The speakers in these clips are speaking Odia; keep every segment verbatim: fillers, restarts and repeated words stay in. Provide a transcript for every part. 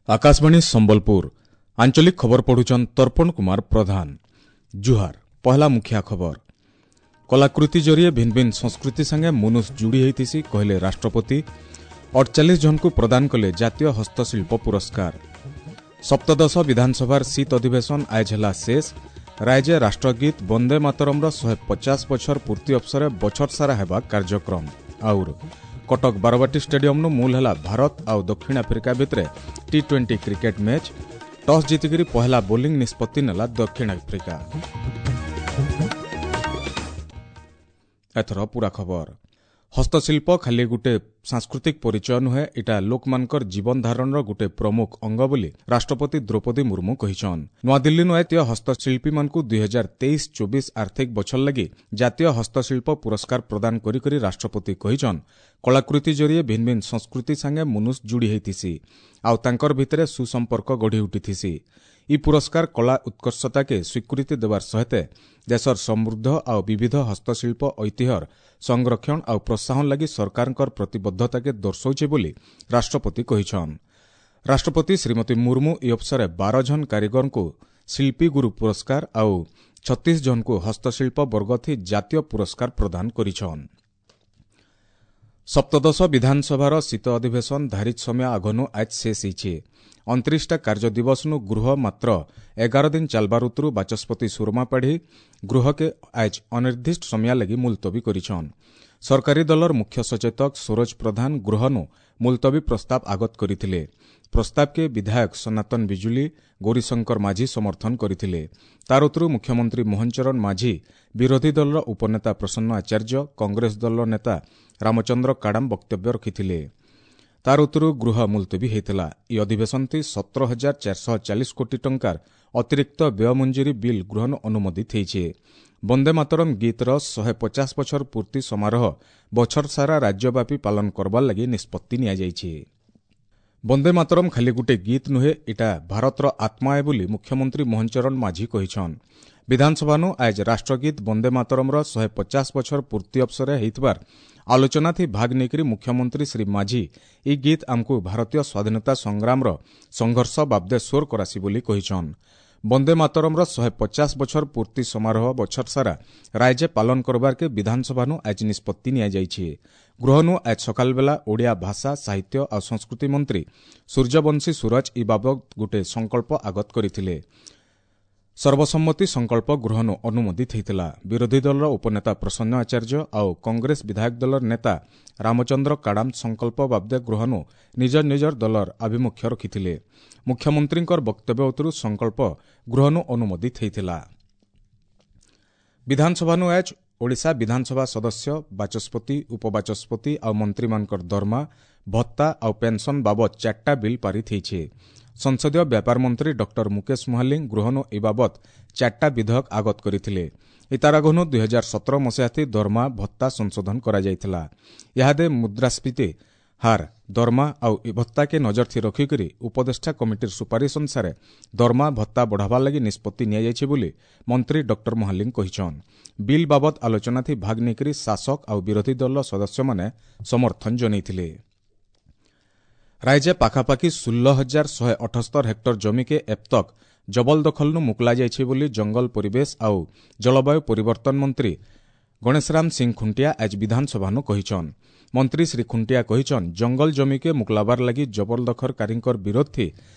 Akashvani Sambalpur ଆଞ୍ଚଳିକ ଖବର ପଢୁଛନ୍ ତର୍ପଣ କୁମାର ପ୍ରଧାନ। ଜୁହାର। ପହଲା ମୁଖିଆ ଖବର। କଲାକୃତି ଜରିଏ ଭିନ୍ ଭିନ୍ ସଂସ୍କୃତି ସାଙ୍ଗେ ମନୁଷ ଯୋଡ଼ି ହେଇଥିସି କହିଲେ ରାଷ୍ଟ୍ରପତି। ଅଠଚାଳିଶ ଜଣଙ୍କୁ ପ୍ରଦାନ କଲେ ଜାତୀୟ ହସ୍ତଶିଳ୍ପ ପୁରସ୍କାର। ସପ୍ତଦଶ ବିଧାନସଭାର ଶୀତ ଅଧିବେଶନ ଆଜ ହେଲା ଶେଷ। ରାଜ୍ୟ ରାଷ୍ଟ୍ରଗୀତ ବନ୍ଦେ ମାତରମ୍ର ଶହେ ପଚାଶ ବଛର ପୂର୍ତ୍ତି ଅବସରେ ବଛର ସାରା ହେବା କାର୍ଯ୍ୟକ୍ରମ। ଆଉର କଟକ ବାରବାଟୀ ଷ୍ଟାଡିୟମ୍ନୁ ମୂଲ ହେଲା ଭାରତ ଆଉ ଦକ୍ଷିଣ ଆଫ୍ରିକା ଭିତରେ T twenty cricket match. Toss ଜିତିକିରି ପହଲା ବୋଲିଂ ନିଷ୍ପତ୍ତି ନେଲା ଦକ୍ଷିଣ ଆଫ୍ରିକା। ଏଥର ପୁରା ଖବର। ହସ୍ତଶିଳ୍ପ ଖାଲି ଗୋଟେ ସାଂସ୍କୃତିକ ପରିଚୟ ନୁହେଁ, ଇଟା ଲୋକମାନଙ୍କର ଜୀବନ ଧାରଣର ଗୋଟେ ପ୍ରମୁଖ ଅଙ୍ଗ ବୋଲି ରାଷ୍ଟ୍ରପତି ଦ୍ରୌପଦୀ ମୁର୍ମୁ କହିଛନ୍। ନୂଆଦିଲ୍ଲୀନୁ ଜାତୀୟ ହସ୍ତଶିଳ୍ପୀମାନଙ୍କୁ ଦୁଇ ହଜାର ତେଇଶ ଚବିଶ ଆର୍ଥିକ ବଛର ଲାଗି ଜାତୀୟ ହସ୍ତଶିଳ୍ପ ପୁରସ୍କାର ପ୍ରଦାନ କରିକରି ରାଷ୍ଟ୍ରପତି କହିଛନ୍, କଳାକୃତି ଜରିଏ ଭିନ୍ ଭିନ୍ ସଂସ୍କୃତି ସାଙ୍ଗେ ମନୁଷ ଯୋଡ଼ି ହେଇଥିସି ଆଉ ତାଙ୍କର ଭିତରେ ସୁସମ୍ପର୍କ ଗଢ଼ି ଉଠିଥିସି। ଇ ପୁରସ୍କାର କଳା ଉତ୍କର୍ଷତାକେ ସ୍ୱୀକୃତି ଦେବାର ସହିତ ଦେଶର ସମୃଦ୍ଧ ଆଉ ବିବିଧ ହସ୍ତଶିଳ୍ପ ଐତିହ୍ୟର ସଂରକ୍ଷଣ ଆଉ ପ୍ରୋତ୍ସାହନ ଲାଗି ସରକାରଙ୍କର ପ୍ରତିବଦ୍ଧତାକେ ଦର୍ଶାଉଛି ବୋଲି ରାଷ୍ଟ୍ରପତି କହିଛନ୍। ରାଷ୍ଟ୍ରପତି ଶ୍ରୀମତୀ ମୁର୍ମୁ ଇ ଅବସରେ ବାର ଜଣ କାରିଗରଙ୍କୁ ଶିଳ୍ପୀ ଗୁରୁ ପୁରସ୍କାର ଆଉ ଛତିଶ ଜଣଙ୍କୁ ହସ୍ତଶିଳ୍ପ ବର୍ଗଥି ଜାତୀୟ ପୁରସ୍କାର ପ୍ରଦାନ କରିଛନ୍। ସପ୍ତଦଶ ବିଧାନସଭାର ଶୀତ ଅଧିବେଶନ ଧାରିତ ସମୟ ଆଗନୁ ଆଜ ଶେଷ ହେଇଛି। ଅଣତିରିଶଟା କାର୍ଯ୍ୟ ଦିବସନୁ ଗୃହ ମାତ୍ର ଏଗାର ଦିନ ଚାଲବାର ଉତରୁ ବାଚସ୍ପତି ସୁରମା ପାଢ଼ୀ ଗୃହକେ ଆଜ ଅନିର୍ଦ୍ଦିଷ୍ଟ ସମୟ ଲାଗି ମୁଲତବୀ କରିଛନ୍। ସରକାରୀ ଦଳର ମୁଖ୍ୟ ସଚେତକ ସରୋଜ ପ୍ରଧାନ ଗୃହନୁ ମୁଲତବୀ ପ୍ରସ୍ତାବ ଆଗତ କରିଥିଲେ। ପ୍ରସ୍ତାବକେ ବିଧାୟକ ସନାତନ ବିଜୁଳି, ଗୌରୀଶଙ୍କର ମାଝୀ ସମର୍ଥନ କରିଥିଲେ। ତାର ଉତରୁ ମୁଖ୍ୟମନ୍ତ୍ରୀ ମୋହନ ଚରଣ ମାଝୀ, ବିରୋଧୀ ଦଳର ଉପନେତା ପ୍ରସନ୍ନ ଆଚାର୍ଯ୍ୟ, କଂଗ୍ରେସ ଦଳର ନେତା ରାମଚନ୍ଦ୍ର କାଡ଼ାମ ବକ୍ତବ୍ୟ ରଖିଥିଲେ। ତାର ଉତ୍ତରୁ ଗୃହ ମୁଲତବୀ ହୋଇଥିଲା। ଏହି ଅଧିବେଶନଥି ସତର ହଜାର ଚାରିଶହ ଚାଳିଶ କୋଟି ଟଙ୍କାର ଅତିରିକ୍ତ ବ୍ୟୟ ମଞ୍ଜୁରୀ ବିଲ୍ ଗୃହନ ଅନୁମୋଦିତ ହୋଇଛି। ବନ୍ଦେ ମାତରମ୍ ଗୀତର ଶହେ ପଚାଶ ବଛର ପୂର୍ତ୍ତି ସମାରୋହ ବଛର ସାରା ରାଜ୍ୟବ୍ୟାପୀ ପାଳନ କରବାର ଲାଗି ନିଷ୍ପତ୍ତି ନିଆଯାଇଛି। ବନ୍ଦେ ମାତରମ୍ ଖାଲି ଗୋଟେ ଗୀତ ନୁହେଁ, ଇଟା ଭାରତର ଆତ୍ମା ଏ ବୋଲି ମୁଖ୍ୟମନ୍ତ୍ରୀ ମୋହନ ଚରଣ ମାଝୀ କହିଛନ୍। ବିଧାନସଭାନୁ ଆଜ ରାଷ୍ଟ୍ରଗୀତ ବନ୍ଦେ ମାତରମ୍ର ଶହେ ପଚାଶ ବଛର ପୂର୍ତ୍ତି ଅବସରେ ହେଇଥିବାର ଆଲୋଚନାଥି ଭାଗ ନେଇକରି ମୁଖ୍ୟମନ୍ତ୍ରୀ ଶ୍ରୀ ମାଝୀ ଇ ଗୀତ ଆମକୁ ଭାରତୀୟ ସ୍ୱାଧୀନତା ସଂଗ୍ରାମର ସଂଘର୍ଷ ବାବଦେ ସ୍ୱର କରାସି ବୋଲି କହିଛନ୍। ବନ୍ଦେ ମାତରମ୍ର ଶହେ ପଚାଶ ବଛର ପୂର୍ତ୍ତି ସମାରୋହ ବଛର ସାରା ରାଜ୍ୟ ପାଳନ କରବାର୍କେ ବିଧାନସଭାନୁ ଆଜ ନିଷ୍ପତ୍ତି ନିଆଯାଇଛି। ଗୃହନୁ ଆଜ ସକାଳବେଲା ଓଡ଼ିଆ ଭାଷା, ସାହିତ୍ୟ ଆଉ ସଂସ୍କୃତି ମନ୍ତ୍ରୀ ସୂର୍ଯ୍ୟବଂଶୀ ସୂରଜ ଇ ବାବଦ ଗୋଟେ ସଂକଳ୍ପ ଆଗତ କରିଥିଲେ। ସର୍ବସମ୍ମତି ସଂକଳ୍ପ ଗୃହନୁ ଅନୁମୋଦିତ ହୋଇଥିଲା। ବିରୋଧୀ ଦଳର ଉପନେତା ପ୍ରସନ୍ନ ଆଚାର୍ଯ୍ୟ ଆଉ କଂଗ୍ରେସ ବିଧାୟକ ଦଳର ନେତା ରାମଚନ୍ଦ୍ର କାଡ଼ାମ ସଂକଳ୍ପ ବାବଦେ ଗୃହନୁ ନିଜ ନିଜର ଦଳର ଆଭିମୁଖ୍ୟ ରଖିଥିଲେ। ମୁଖ୍ୟମନ୍ତ୍ରୀଙ୍କର ବକ୍ତବ୍ୟ ଉତ୍ତରୁ ସଂକଳ୍ପ ଗୃହନୁ ଅନୁମୋଦିତ ହୋଇଥିଲା। ବିଧାନସଭାନୁ ଆଜ ଓଡ଼ିଶା ବିଧାନସଭା ସଦସ୍ୟ, ବାଚସ୍ପତି, ଉପବାଚସ୍ପତି ଆଉ ମନ୍ତ୍ରୀମାନଙ୍କର ଦରମା, ଭତ୍ତା ଆଉ ପେନ୍ସନ୍ ବାବଦ ଚାରିଟା ବିଲ୍ ପାରିତ ହୋଇଛି। ସଂସଦୀୟ ବ୍ୟାପାର ମନ୍ତ୍ରୀ ଡକ୍ଟର ମୁକେଶ ମହାଲିଙ୍ଗ ଗୃହନୁ ଏ ବାବଦ ଚାରିଟା ବିଧେୟକ ଆଗତ କରିଥିଲେ। ଇତାର ଆଗନୁ ଦୁଇ ହଜାର ସତର ମସିହାଥି ଦରମା ଭତ୍ତା ସଂଶୋଧନ କରାଯାଇଥିଲା। ଇହାଦେ ମୁଦ୍ରାସ୍ଫୀତି ହାର, ଦରମା ଆଉ ଭତ୍ତାକେ ନଜରଥି ରଖିକରି ଉପଦେଷ୍ଟା କମିଟିର ସୁପାରିଶ ଅନୁସାରେ ଦରମା ଭତ୍ତା ବଢ଼ାବାର ଲାଗି ନିଷ୍ପତ୍ତି ନିଆଯାଇଛି ବୋଲି ମନ୍ତ୍ରୀ ଡକ୍ଟର ମହାଲିଙ୍ଗ କହିଛନ୍। ବିଲ୍ ବାବଦ ଆଲୋଚନାଥି ଭାଗ ନେଇକରି ଶାସକ ଆଉ ବିରୋଧୀ ଦଳର ସଦସ୍ୟମାନେ ସମର୍ଥନ ଜଣାଇଥିଲେ। ରାଜ୍ୟ ପାଖାପାଖି ଷୋହଳ ହଜାର ଶହେ ଅଠସ୍ତର ହେକ୍ଟର ଜମିକେ ଏପ୍ତକ ଜବରଦଖଲନୁ ମୁକୁଲା ଯାଇଛି ବୋଲି ଜଙ୍ଗଲ ପରିବେଶ ଆଉ ଜଳବାୟୁ ପରିବର୍ତ୍ତନ ମନ୍ତ୍ରୀ ଗଣେଶରାମ ସିଂ ଖୁଣ୍ଟିଆ ଆଜ ବିଧାନସଭାନୁ କହିଛନ୍। ମନ୍ତ୍ରୀ ଶ୍ରୀ ଖୁଣ୍ଟିଆ କହିଛନ୍, ଜଙ୍ଗଲ ଜମିକେ ମୁକୁଲାବାର ଲାଗି ଜବରଦଖଲକାରୀଙ୍କର ବିରୋଧଥି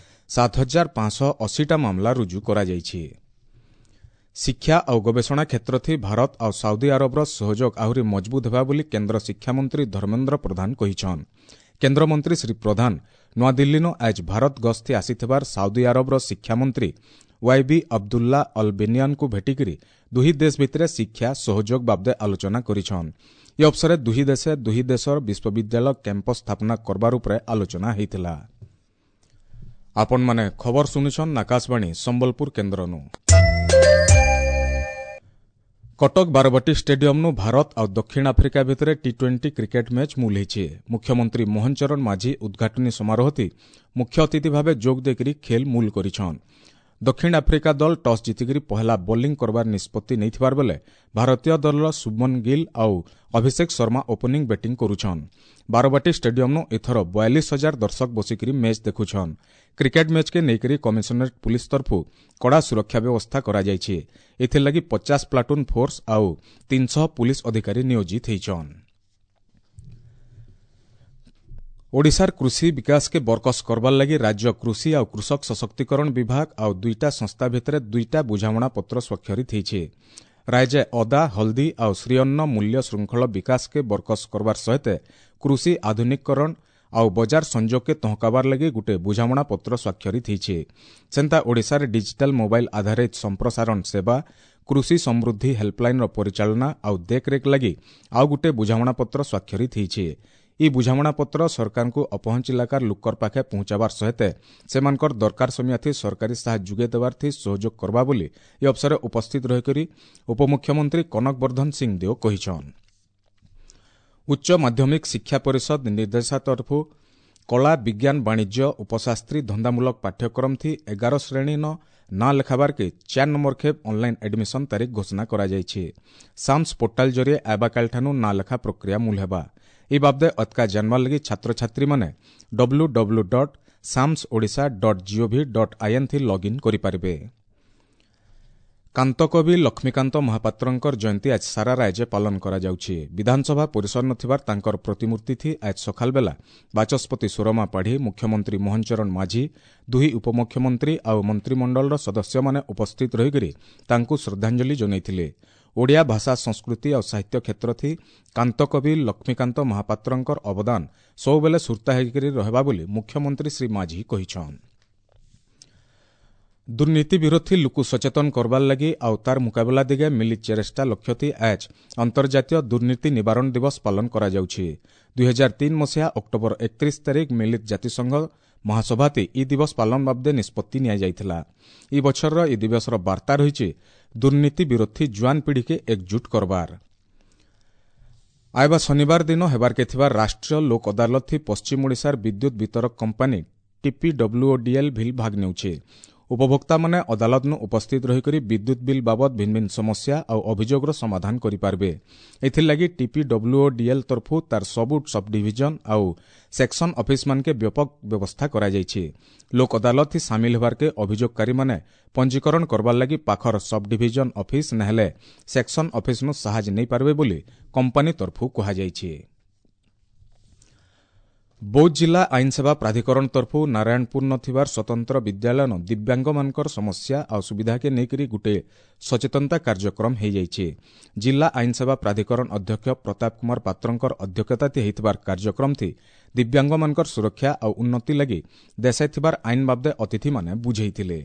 ସାତ ହଜାର ପାଞ୍ଚଶହ ଅଶୀଟା ମାମଲା ରୁଜୁ କରାଯାଇଛି। ଶିକ୍ଷା ଆଉ ଗବେଷଣା କ୍ଷେତ୍ରଥି ଭାରତ ଆଉ ସାଉଦି ଆରବର ସହଯୋଗ ଆହୁରି ମଜବୁତ ହେବା ବୋଲି କେନ୍ଦ୍ର ଶିକ୍ଷାମନ୍ତ୍ରୀ ଧର୍ମେନ୍ଦ୍ର ପ୍ରଧାନ କହିଛନ୍। କେନ୍ଦ୍ରମନ୍ତ୍ରୀ ଶ୍ରୀ ପ୍ରଧାନ ନୂଆଦିଲ୍ଲୀନୁ ଆଜ ଭାରତ ଗସ୍ତି ଆସିଥିବାର ସାଉଦି ଆରବର ଶିକ୍ଷାମନ୍ତ୍ରୀ ୱାଇବି ଅବଦୁଲ୍ଲା ଅଲ୍ ବେନିଆନଙ୍କୁ ଭେଟିକରି ଦୁହି ଦେଶ ଭିତରେ ଶିକ୍ଷା ସହଯୋଗ ବାବଦେ ଆଲୋଚନା କରିଛନ୍। ଏ ଅବସରେ ଦୁହି ଦେଶେ ଦୁହି ଦେଶର ବିଶ୍ୱବିଦ୍ୟାଳୟ କ୍ୟାମ୍ପସ ସ୍ଥାପନା କରବାର ଉପରେ ଆଲୋଚନା ହୋଇଥିଲା। ଆପଣମାନେ ଖବର ଶୁଣୁଛନ୍ ଆକାଶବାଣୀ ସମ୍ବଲପୁର କେନ୍ଦ୍ରନୁ। କଟକ ବାରବାଟୀ ଷ୍ଟାଡିୟମ୍ନୁ ଭାରତ ଆଉ ଦକ୍ଷିଣ ଆଫ୍ରିକା ଭିତରେ ଟି ଟ୍ୱେଣ୍ଟି କ୍ରିକେଟ୍ ମ୍ୟାଚ୍ ମୂଲ ହେଇଛି। ମୁଖ୍ୟମନ୍ତ୍ରୀ ମୋହନ ଚରଣ ମାଝୀ ଉଦ୍ଘାଟନୀ ସମାରୋହଥି ମୁଖ୍ୟ ଅତିଥି ଭାବେ ଯୋଗ ଦେଇକରି ଖେଲ୍ ମୂଲ କରିଛନ୍। ଦକ୍ଷିଣ ଆଫ୍ରିକା ଦଳ ଟସ୍ ଜିତିକରି ପହେଲା ବୋଲିଂ କରବାର ନିଷ୍ପତ୍ତି ନେଇଥିବାର ବେଲେ ଭାରତୀୟ ଦଳର ଶୁଭମନ ଗିଲ୍ ଆଉ ଅଭିଷେକ ଶର୍ମା ଓପନିଂ ବ୍ୟାଟିଂ କରୁଛନ୍। ବାରବାଟୀ ଷ୍ଟାଡିୟମ୍ନୁ ଏଥର ବୟାଳିଶ ହଜାର ଦର୍ଶକ ବସିକରି ମ୍ୟାଚ୍ ଦେଖୁଛନ୍। କ୍ରିକେଟ୍ ମ୍ୟାଚ୍କେ ନେଇକରି କମିଶନରେଟ୍ ପୁଲିସ୍ ତରଫୁ କଡ଼ା ସୁରକ୍ଷା ବ୍ୟବସ୍ଥା କରାଯାଇଛି। ଏଥିର୍ଲାଗି ପଚାଶ ପ୍ଲାଟୁନ୍ ଫୋର୍ସ ଆଉ ତିନିଶହ ପୁଲିସ୍ ଅଧିକାରୀ ନିୟୋଜିତ ହେଇଛନ୍। ଓଡ଼ିଶାର କୃଷି ବିକାଶକେ ବରକସ କରବାର୍ ଲାଗି ରାଜ୍ୟ କୃଷି ଆଉ କୃଷକ ସଶକ୍ତିକରଣ ବିଭାଗ ଆଉ ଦୁଇଟା ସଂସ୍ଥା ଭିତରେ ଦୁଇଟା ବୁଝାମଣା ପତ୍ର ସ୍ୱାକ୍ଷରିତ ହେଇଛି। ରାଜ୍ୟ ଅଦା, ହଳଦୀ ଆଉ ଶ୍ରୀଅନ୍ନ ମୂଲ୍ୟ ଶୃଙ୍ଖଳ ବିକାଶକେ ବରକସ କରବାର ସହିତ କୃଷି ଆଧୁନିକୀକରଣ ଆଉ ବଜାର ସଂଯୋଗକେ ତହକାବାର ଲାଗି ଗୁଟେ ବୁଝାମଣା ପତ୍ର ସ୍ୱାକ୍ଷରିତ ହେଇଛି। ସେନ୍ତା ଓଡ଼ିଶାରେ ଡିଜିଟାଲ ମୋବାଇଲ ଆଧାରିତ ସମ୍ପ୍ରସାରଣ ସେବା, କୃଷି ସମୃଦ୍ଧି ହେଲ୍ପଲାଇନ୍ର ପରିଚାଳନା ଆଉ ଦେଖରେଖ ଲାଗି ଆଉ ଗୁଟେ ବୁଝାମଣାପତ୍ର ସ୍ୱାକ୍ଷରିତ ହେଇଛି। ଇ ବୁଝାମଣାପତ୍ର ସରକାରଙ୍କୁ ଅପହଞ୍ଚ ଇଲାକାର ଲୁକର ପାଖେ ପହଞ୍ଚାବାର ସହିତ ସେମାନଙ୍କର ଦରକାର ସମିଆଥି ସରକାରୀ ସାହାଯ୍ୟ ଯୋଗାଇ ଦେବାର୍ଥି ସହଯୋଗ କରବା ବୋଲି ଏ ଅବସରରେ ଉପସ୍ଥିତ ରହିକରି ଉପମୁଖ୍ୟମନ୍ତ୍ରୀ କନକ ବର୍ଦ୍ଧନ ସିଂଦେଓ କହିଛନ୍। ଉଚ୍ଚ ମାଧ୍ୟମିକ ଶିକ୍ଷା ପରିଷଦ ନିର୍ଦ୍ଦେଶା ତରଫୁ କଳା, ବିଜ୍ଞାନ, ବାଣିଜ୍ୟ, ଉପଶାସ୍ତ୍ରୀ, ଧନ୍ଦାମୂଳକ ପାଠ୍ୟକ୍ରମ ଥି ଏଗାର ଶ୍ରେଣୀନ ନାଁ ଲେଖାବାର୍କେ ଚାର୍ ନମ୍ବର ଖେପ୍ ଅନ୍ଲାଇନ୍ ଆଡମିସନ୍ ତାରିଖ ଘୋଷଣା କରାଯାଇଛି। ସାମ୍ସ ପୋର୍ଟାଲ ଜରିଏ ଆବାକାଲିଠାନୁ ନାଁ ଲେଖା ପ୍ରକ୍ରିୟା ମୂଲ ହେବା। ଏ ବାବଦେ ଅତକା ଜାନବାର୍ ଲାଗି ଛାତ୍ରଛାତ୍ରୀମାନେ W W dot SAMS Odisha dot gov dot in ଥି ଲଗ୍ଇନ୍ କରିପାରିବେ। କାନ୍ତକବି ଲକ୍ଷ୍ମୀକାନ୍ତ ମହାପାତ୍ରଙ୍କର ଜୟନ୍ତୀ ଆଜି ସାରା ରାଜ୍ୟ ପାଳନ କରାଯାଉଛି। ବିଧାନସଭା ପରିସର ନଥିବାର ତାଙ୍କର ପ୍ରତିମୂର୍ତ୍ତି ଥି ଆଜି ସକାଳ ବେଲା ବାଚସ୍ପତି ସୁରମା ପାଢ଼ୀ, ମୁଖ୍ୟମନ୍ତ୍ରୀ ମୋହନ ଚରଣ ମାଝୀ, ଦୁଇ ଉପମୁଖ୍ୟମନ୍ତ୍ରୀ ଆଉ ମନ୍ତ୍ରିମଣ୍ଡଳର ସଦସ୍ୟମାନେ ଉପସ୍ଥିତ ରହିକରି ତାଙ୍କୁ ଶ୍ରଦ୍ଧାଞ୍ଜଳି ଜଣାଇଥିଲେ। ଓଡ଼ିଆ ଭାଷା, ସଂସ୍କୃତି ଆଉ ସାହିତ୍ୟ କ୍ଷେତ୍ର ଥି କାନ୍ତକବି ଲକ୍ଷ୍ମୀକାନ୍ତ ମହାପାତ୍ରଙ୍କର ଅବଦାନ ସବୁବେଳେ ସୁର୍ତ୍ତା ହେଇକରି ରହିବା ବୋଲି ମୁଖ୍ୟମନ୍ତ୍ରୀ ଶ୍ରୀ ମାଝୀ କହିଛନ୍। ଦୁର୍ନୀତି ବିରୋଧୀ ଲୁକୁ ସଚେତନ କରବାର୍ ଲାଗି ଆଉ ତାର ମୁକାବିଲା ଦିଗେ ମିଳିତ ଚେଷ୍ଟା ଲକ୍ଷ୍ୟଥି ଆଜ୍ ଅନ୍ତର୍ଜାତୀୟ ଦୁର୍ନୀତି ନିବାରଣ ଦିବସ ପାଳନ କରାଯାଉଛି। ଦୁଇ ହଜାର ତିନି ମସିହା ଅକ୍ଟୋବର ଏକତିରିଶ ତାରିଖ ମିଳିତ ଜାତିସଂଘ ମହାସଭାତି ଇ ଦିବସ ପାଳନ ବାବଦେ ନିଷ୍ପତ୍ତି ନିଆଯାଇଥିଲା। ଇ ବଛରର ଇ ଦିବସର ବାର୍ତ୍ତା ରହିଛି ଦୁର୍ନୀତି ବିରୋଧୀ ଜୁଆନ ପିଢ଼ିକେ ଏକଜୁଟ କରବାର। ଆଇବା ଶନିବାର ଦିନ ହେବାର୍କେ ଥିବା ରାଷ୍ଟ୍ରୀୟ ଲୋକ ଅଦାଲତ ଥି ପଶ୍ଚିମ ଓଡ଼ିଶାର ବିଦ୍ୟୁତ ବିତରକ କମ୍ପାନୀ ଟିପିଡବ୍ଲ୍ୟୁଓଡିଏଲ୍ ଭିଲ୍ ଭାଗ ନେଉଛି। ଉପଭୋକ୍ତାମାନେ ଅଦାଲତନୁ ଉପସ୍ଥିତ ରହିକରି ବିଦ୍ୟୁତ ବିଲ୍ ବାବଦ ଭିନ୍ନ ଭିନ୍ନ ସମସ୍ୟା ଆଉ ଅଭିଯୋଗର ସମାଧାନ କରିପାରିବେ। ଏଥିର୍ଲାଗି ଟିପିଡବ୍ଲ୍ୟୁଓଡିଏଲ୍ ତରଫୁ ତାର ସବୁ ସବ୍ ଡିଭିଜନ ଆଉ ସେକ୍ସନ ଅଫିସମାନକେ ବ୍ୟାପକ ବ୍ୟବସ୍ଥା କରାଯାଇଛି। ଲୋକ ଅଦାଲତ ସାମିଲ ହେବାର୍କେ ଅଭିଯୋଗକାରୀମାନେ ପଞ୍ଜୀକରଣ କରବାର୍ ଲାଗି ପାଖର ସବ୍ ଡିଭିଜନ ଅଫିସ ନହେଲେ ସେକ୍ସନ ଅଫିସନୁ ସାହାଯ୍ୟ ନେଇପାରିବେ ବୋଲି କମ୍ପାନୀ ତରଫୁ କୁହାଯାଇଛି। ବୌଦ୍ଧ ଜିଲ୍ଲା ଆଇନସେବା ପ୍ରାଧିକରଣ ତରଫୁ ନାରାୟଣପୁର ଥିବାର ସ୍ୱତନ୍ତ୍ର ବିଦ୍ୟାଳୟନ ଦିବ୍ୟାଙ୍ଗମାନଙ୍କର ସମସ୍ୟା ଆଉ ସୁବିଧାକେ ନେଇକରି ଗୁଟେ ସଚେତନତା କାର୍ଯ୍ୟକ୍ରମ ହେଇଯାଇଛି। ଜିଲ୍ଲା ଆଇନସେବା ପ୍ରାଧିକରଣ ଅଧ୍ୟକ୍ଷ ପ୍ରତାପ କୁମାର ପାତ୍ରଙ୍କର ଅଧ୍ୟକ୍ଷତାତି ହେଇଥିବାର କାର୍ଯ୍ୟକ୍ରମ ଥି ଦିବ୍ୟାଙ୍ଗମାନଙ୍କର ସୁରକ୍ଷା ଆଉ ଉନ୍ନତି ଲାଗି ଦେଶେ ଥିବାର ଆଇନ ବାବଦେ ଅତିଥିମାନେ ବୁଝେଇଥିଲେ।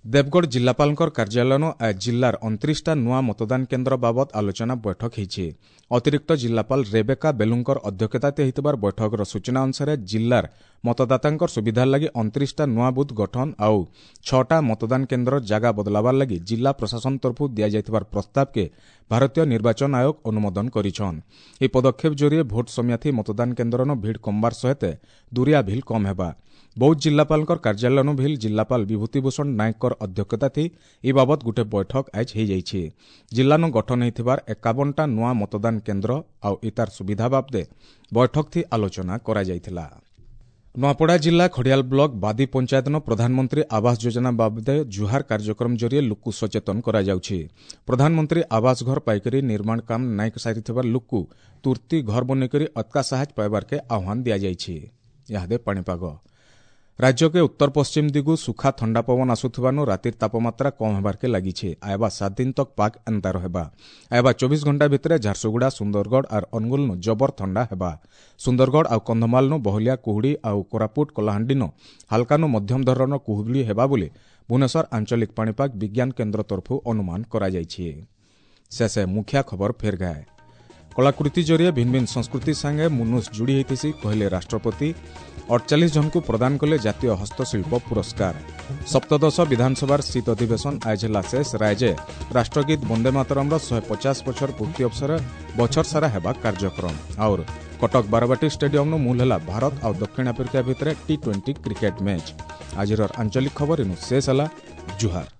ଦେବଗଡ଼ ଜିଲ୍ଲାପାଳଙ୍କର କାର୍ଯ୍ୟାଳୟନ ଆଜ ଜିଲ୍ଲାର ଅଣତିରିଶଟା ନୂଆ ମତଦାନ କେନ୍ଦ୍ର ବାବଦ ଆଲୋଚନା ବୈଠକ ହେଇଛି। ଅତିରିକ୍ତ ଜିଲ୍ଲାପାଳ ରେବେକା ବେଲୁଙ୍କର ଅଧ୍ୟକ୍ଷତାରେ ହେଇଥିବାର ବୈଠକର ସୂଚନା ଅନୁସାରେ ଜିଲ୍ଲାର ମତଦାତାଙ୍କର ସୁବିଧା ଲାଗି ଅଣତିରିଶଟା ନୂଆ ବୁଥ୍ ଗଠନ ଆଉ ଛଅଟା ମତଦାନ କେନ୍ଦ୍ର ଜାଗା ବଦଲାବାର ଲାଗି ଜିଲ୍ଲା ପ୍ରଶାସନ ତରଫରୁ ଦିଆଯାଇଥିବାର ପ୍ରସ୍ତାବକେ ଭାରତୀୟ ନିର୍ବାଚନ ଆୟୋଗ ଅନୁମୋଦନ କରିଛନ୍। ଏହି ପଦକ୍ଷେପ ଜରିଏ ଭୋଟ ସମିଆଥି ମତଦାନ କେନ୍ଦ୍ରନ ଭିଡ଼ କମବାର ସହିତ ଦୁରିଆ ଭିଲ୍ କମ୍ ହେବା। ବୌଦ୍ଧ ଜିଲ୍ଲାପାଳଙ୍କର କାର୍ଯ୍ୟାଳୟନୁ ଭିଲ୍ ଜିଲ୍ଲାପାଳ ବିଭୂତିଭୂଷଣ ନାୟକଙ୍କର ଅଧ୍ୟକ୍ଷତାଥି ଏ ବାବଦ ଗୁଟେ ବୈଠକ ଆଜ ହେଇଯାଇଛି। ଜିଲ୍ଲାନୁ ଗଠନ ହେଇଥିବାର ଏକାବନଟା ନୂଆ ମତଦାନ କେନ୍ଦ୍ର ଆଉ ଇତାର ସୁବିଧା ବାବଦେ ବୈଠକଥି ଆଲୋଚନା କରାଯାଇଥିଲା। ନୂଆପଡ଼ା ଜିଲ୍ଲା ଖଡ଼ିଆଲ ବ୍ଲକ ବାଦି ପଞ୍ଚାୟତନ ପ୍ରଧାନମନ୍ତ୍ରୀ ଆବାସ ଯୋଜନା ବାବଦେ ଜୁହାର କାର୍ଯ୍ୟକ୍ରମ ଜରିଏ ଲୁକୁ ସଚେତନ କରାଯାଉଛି। ପ୍ରଧାନମନ୍ତ୍ରୀ ଆବାସ ଘର ପାଇକରି ନିର୍ମାଣ କାମ ନାଇଁ ସାରିଥିବା ଲୁକୁ ତୁର୍ତ୍ତି ଘର ବନେଇକରି ଅତକା ସାହାଯ୍ୟ ପାଇବାର୍କେ ଆହ୍ୱାନ ଦିଆଯାଇଛି। ଇହାଦେ ପାଣିପାଗ ରାଜ୍ୟକେ ଉତ୍ତର ପଶ୍ଚିମ ଦିଗୁ ସୁଖା ଥଣ୍ଡା ପବନ ଆସୁଥିବାନୁ ରାତିର ତାପମାତ୍ରା କମ୍ ହେବାର୍କେ ଲାଗିছে। ଆଇବା ସାତ ଦିନ ତକ୍ ପାକ୍ ଏନ୍ତା ରହେବା। ଆଇବା ଚବିଶ ଘଣ୍ଟା ଭିତରେ ଝାରସୁଗୁଡ଼ା, ସୁନ୍ଦରଗଡ଼ ଆର୍ ଅନୁଗୁଳନୁ ଜବର ଥଣ୍ଡା ହେବା। ସୁନ୍ଦରଗଡ଼ ଆଉ କନ୍ଧମାଳନୁ ବହଲିଆ କୁହୁଡ଼ି ଆଉ କୋରାପୁଟ, କଳାହାଣ୍ଡିନୁ ହାଲକାନୁ ମଧ୍ୟମ ଧରଣର କୁହୁଡ଼ି ହେବା ବୋଲି ଭୁବନେଶ୍ୱର ଆଞ୍ଚଳିକ ପାଣିପାଗ ବିଜ୍ଞାନ କେନ୍ଦ୍ର ତରଫରୁ ଅନୁମାନ କରାଯାଇଛି। ଶେଷେ ମୁଖିଆ ଖବର ଫେର୍ ଗାଏ। କଳାକୃତି ଜରିଏ ଭିନ୍ ଭିନ୍ ସଂସ୍କୃତି ସାଙ୍ଗେ ମୁନୁଷ ଯୋଡ଼ି ହେଇଥିସି କହିଲେ ରାଷ୍ଟ୍ରପତି। ଅଠଚାଳିଶ ଜଣଙ୍କୁ ପ୍ରଦାନ କଲେ ଜାତୀୟ ହସ୍ତଶିଳ୍ପ ପୁରସ୍କାର। ସପ୍ତଦଶ ବିଧାନସଭାର ଶୀତ ଅଧିବେଶନ ଆଜ ହେଲା ଶେଷ। ରାଜ୍ୟ ରାଷ୍ଟ୍ରଗୀତ ବନ୍ଦେ ମାତରମ୍ର ଶହେ ପଚାଶ ବଛର ପୂର୍ତ୍ତି ଅବସରରେ ବଛର ସାରା ହେବା କାର୍ଯ୍ୟକ୍ରମ। ଆଉର କଟକ ବାରବାଟୀ ଷ୍ଟାଡିୟମ୍ନୁ ମୂଲ ହେଲା ଭାରତ ଆଉ ଦକ୍ଷିଣ ଆଫ୍ରିକା ଭିତରେ ଟି ଟ୍ୱେଣ୍ଟି କ୍ରିକେଟ୍ ମ୍ୟାଚ୍। ଆଜିର ଆଞ୍ଚଳିକ ଖବର ଇନୁ ଶେଷ ହେଲା। ଜୁହାର।